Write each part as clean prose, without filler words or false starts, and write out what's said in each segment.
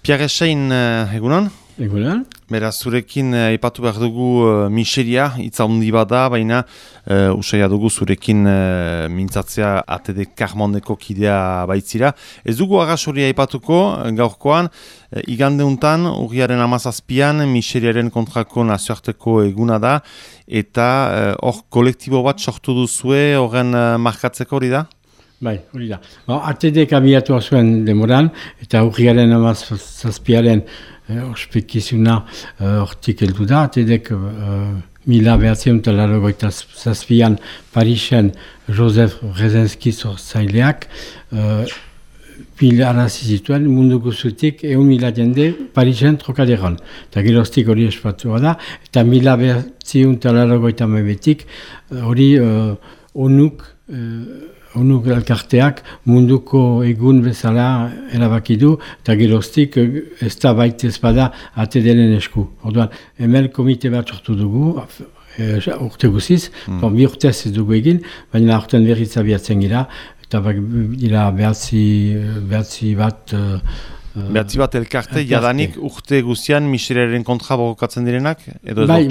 Pierre Echein, egunon? Egunon. Beraz, zurekin aipatu behar dugu miseria, hitza handi bada, baina usaia dugu zurekin mintzatzea ATD Karmondeko kidea baitzira. Ez dugu agasoria aipatuko gaurkoan, igandeuntan, urriaren 17an, miseriaren kontrako nazioarteko eguna da, eta hor kolektibo bat sortu duzue, horren markatzeko hori da? Bai, hori da. ATD abiatu zuen demoran, eta urriaren 17aren ospekizuna hortik heldu da. ATD-ek 1987an Parisen Joseph Brzezinski sortzaileak pilarazi zituen mundu guzutik 1.000 jende Parisen trokaderon. Eta geroztik hori espatua da, eta 1989tik hori ONUk elkarteak munduko egun bezala erabaki du, eta geroztik ez da baita ezpada ATD-ren esku. Orduan, hemen komite bat sortu dugu, urte guziz, bi urtez ez dugu egin, baina aurten berriz abiatzen gira, eta dira behatzi bat... Behatzi bat elkarte, jadanik urte guztian miseriaren kontra borrokatzen direnak? Bai,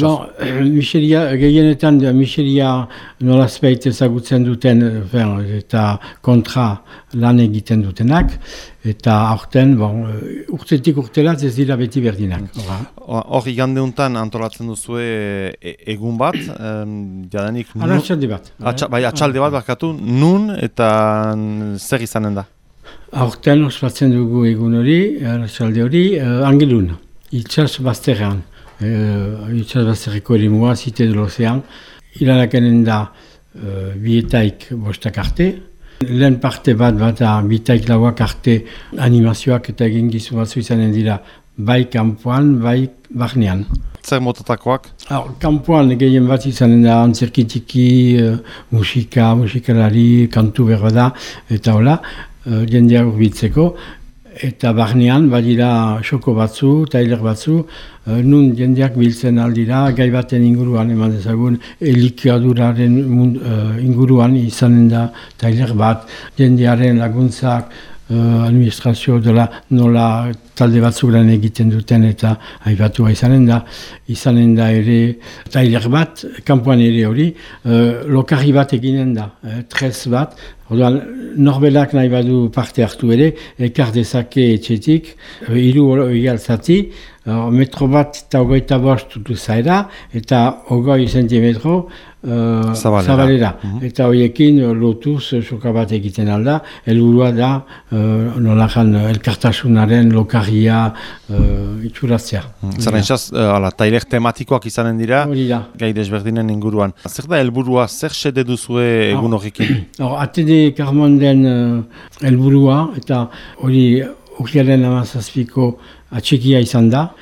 miseria, gehienetan miseria nolazpeit ezagutzen duten eta kontra lan egiten dutenak, eta aurten, urtetik urtelat ez dira beti berdinak. Hor igandeuntan antolatzen duzue egun bat, jadanik... Atxalde bat. Bai, atxalde bat barkatu, nun eta zer izanen da? Aurten ospatzen dugu egun hori, arratsalde hori, Angelun, itxas bazterrean. Itxas bazterreko erimua, Cité de l'Océan. Ilanakenen da bietaik bostak arte. Lehen parte bat bietaik lauak arte animazioak eta egin gizu batzu izanen dira bai kanpoan, bai barnean. Zer motatakoak? Kanpoan gehien bat izanen da antzerkitiki, musikalari, kantu berra da, eta hola. Jendeak urbitzeko, eta barnean badira xoko batzu, tailer batzu, nun jendeak biltzen aldira, gai baten inguruan eman dezagun, elikaduraren inguruan izanen da tailer bat, jendearen laguntzak, administrazio dela nola talde batzuk lan egiten duten eta aipatua izanen da ere tailer bat, kanpoan ere hori, lokarri bat eginen da, tres bat, orduan norbelak nahi badu parte hartu ere, ekar dezake etxetik, 3 egaltzati, metro bat eta 25 du zaera, eta 20 centimetro zabalera. Eta horiekin lotuz soka bat egiten alda, helburua da nolajan elkartasunaren lokarria itxuratzea. Zaren txaz, tailer tematikoak izanen dira, gai desberdinen inguruan. Zer da helburua, zer xede duzue egun horrekin? ATD Karmonden helburua, eta hori urriaren 17ko atxekia izan da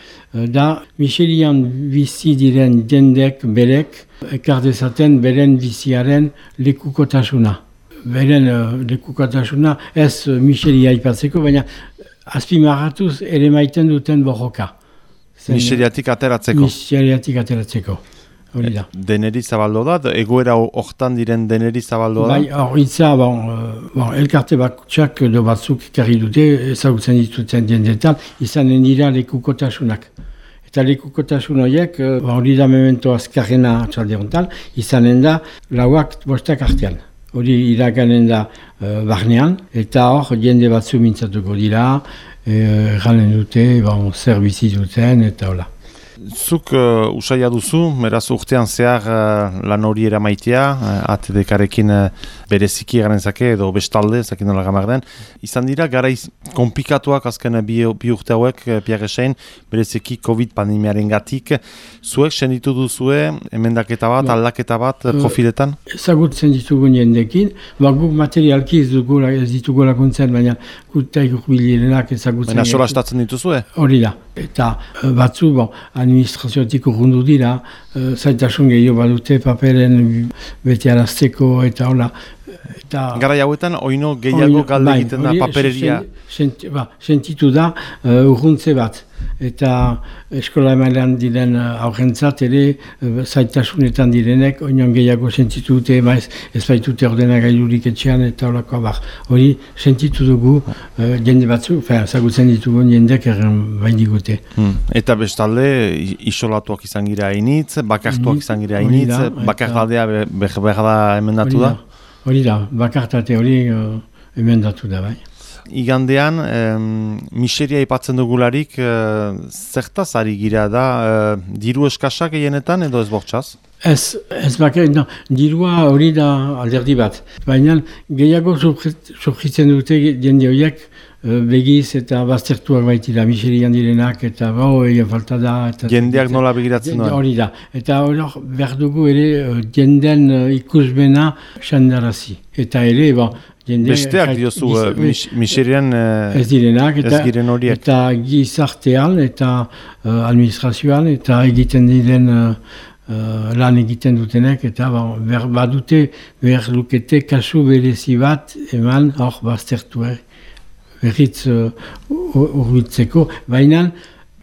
miserian bizi diren jendek berek ekar dezaten beren biziaren lekukotasuna. Beren lekukotasuna ez miseria aipatzeko, baina azpimarratuz ere maiten duten borroka. Miseriatik ateratzeko? Miseriatik ateratzeko. Hori da. Deneri zabaldo da? Egoera hortan diren deneri zabaldo da? Bai, horitza, elkarte bakutsak edo batzuk ekarri dute, ezagutzen dituten jendetan, izanen dira lekukotasunak. Eta lekukotasun horiek, hori da memento azkarrena atxalde honetan, izanen da 4 artean. Hori iraganen da barnean, eta hor jende batzu mintzatuko dira, galen dute, zer bizi duten, eta hola. Zuk usaia duzu, beraz urtean zehar lan hori eramaitea, ATD-karekin bereziki eganezake edo bestalde, zakin nola gamar den. Izan dira, garaiz komplikatuak azken bi urte hauek, Pierre Echein, bereziki COVID pandemiaren gatik. Zuek senditu duzue, emendaketa bat, aldaketa bat, profiletan? Ezagutzen ditugun jendekin, guk materialki ez ditugu laguntzen, baina gutaik urbilirenak ezagutzen. Baina solastatzen dituzue? Hori da, eta batzu, administraziotik urrundu dira, zaitasun gehiago badute paperen bete arazteko eta hola. Garai hauetan, oino gehiago galde egiten da papereria. Sentitu da urruntze bat. Eta eskola emailean diren aurrentzat ere zaitasunetan direnek oinon gehiago sentitu dute, ez baitute ordenagailurik etxean eta horako abar. Hori sentitu dugu jende batzu, zagutzen ditugu jendek baidigute. Eta bestalde isolatuak izan gira hainitz, bakartuak izan gira hainitz, bakardadea behar da emendatu da? Hori da, bakartate hori emendatu da, bai. Igandean, miseria ipatzen dugularik, zertaz ari gira da, diru eskasak egenetan edo ez bortxaz? Ez bakar, dirua hori da alderdi bat. Baina gehiago surgitzen dute jende horiek begiz eta baztertuak baitira miserian direnak eta egin falta da. Jendeak nola begiratzen da? Hori da. Eta hori behar dugu ere jenden ikusmena xandarazi. Eta ere, besteak diozu, miserian ez direnak, giren horiek. Eta gizartean, eta administrazioan, eta egiten diren lan egiten dutenek, eta badute behar lukete kasu berezi bat eman hor baztertu berriz urbitzeko, baina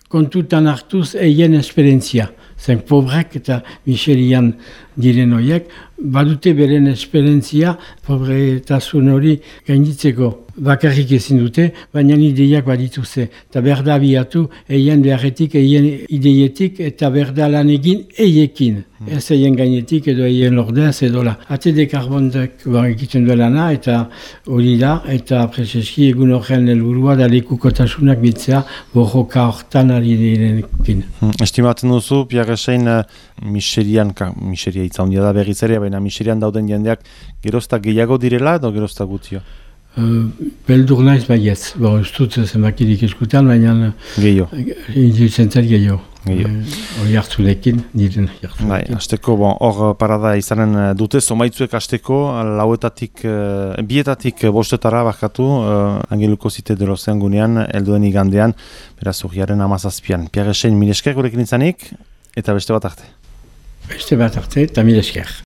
kontutan hartuz eien esperientzia. Zen pobrek eta miserian diren horiek, badute beren esperientzia pobretasun hori gainditzeko bakarrik ezin dute, baina ideiak badituze. Eta berda biatu eien beharretik, eien ideietik eta berda lan egin eiekin. Ez eien gainetik edo eien lordez edo la. Atede karbondek egiten duelana eta hori da, eta prezeski egun horren helburua da lekukotasunak bitzea borroka hortan ari direnekin. Estimatzen duzu, Pierre Esein, miseria itzaundia da berriz ere, baina miserian dauden jendeak gerozta gehiago direla edo gerozta gutio? Beldur naiz baietz. Ez dut zenbakirik eskutan, baina indizentzat gehiago. Hori hartzulekin, diren hartzulekin. Bai, hasteko, hor parada izanen dute, zomaitzuek hasteko, bietatik bostetara bakatu, Angeluko Zite de Lozean gunean, helduen igandean, beraz urriaren 17an. Pierre Esein, mil esker gurekin izanik, eta beste bat arte. Beste bat arte, eta mil esker.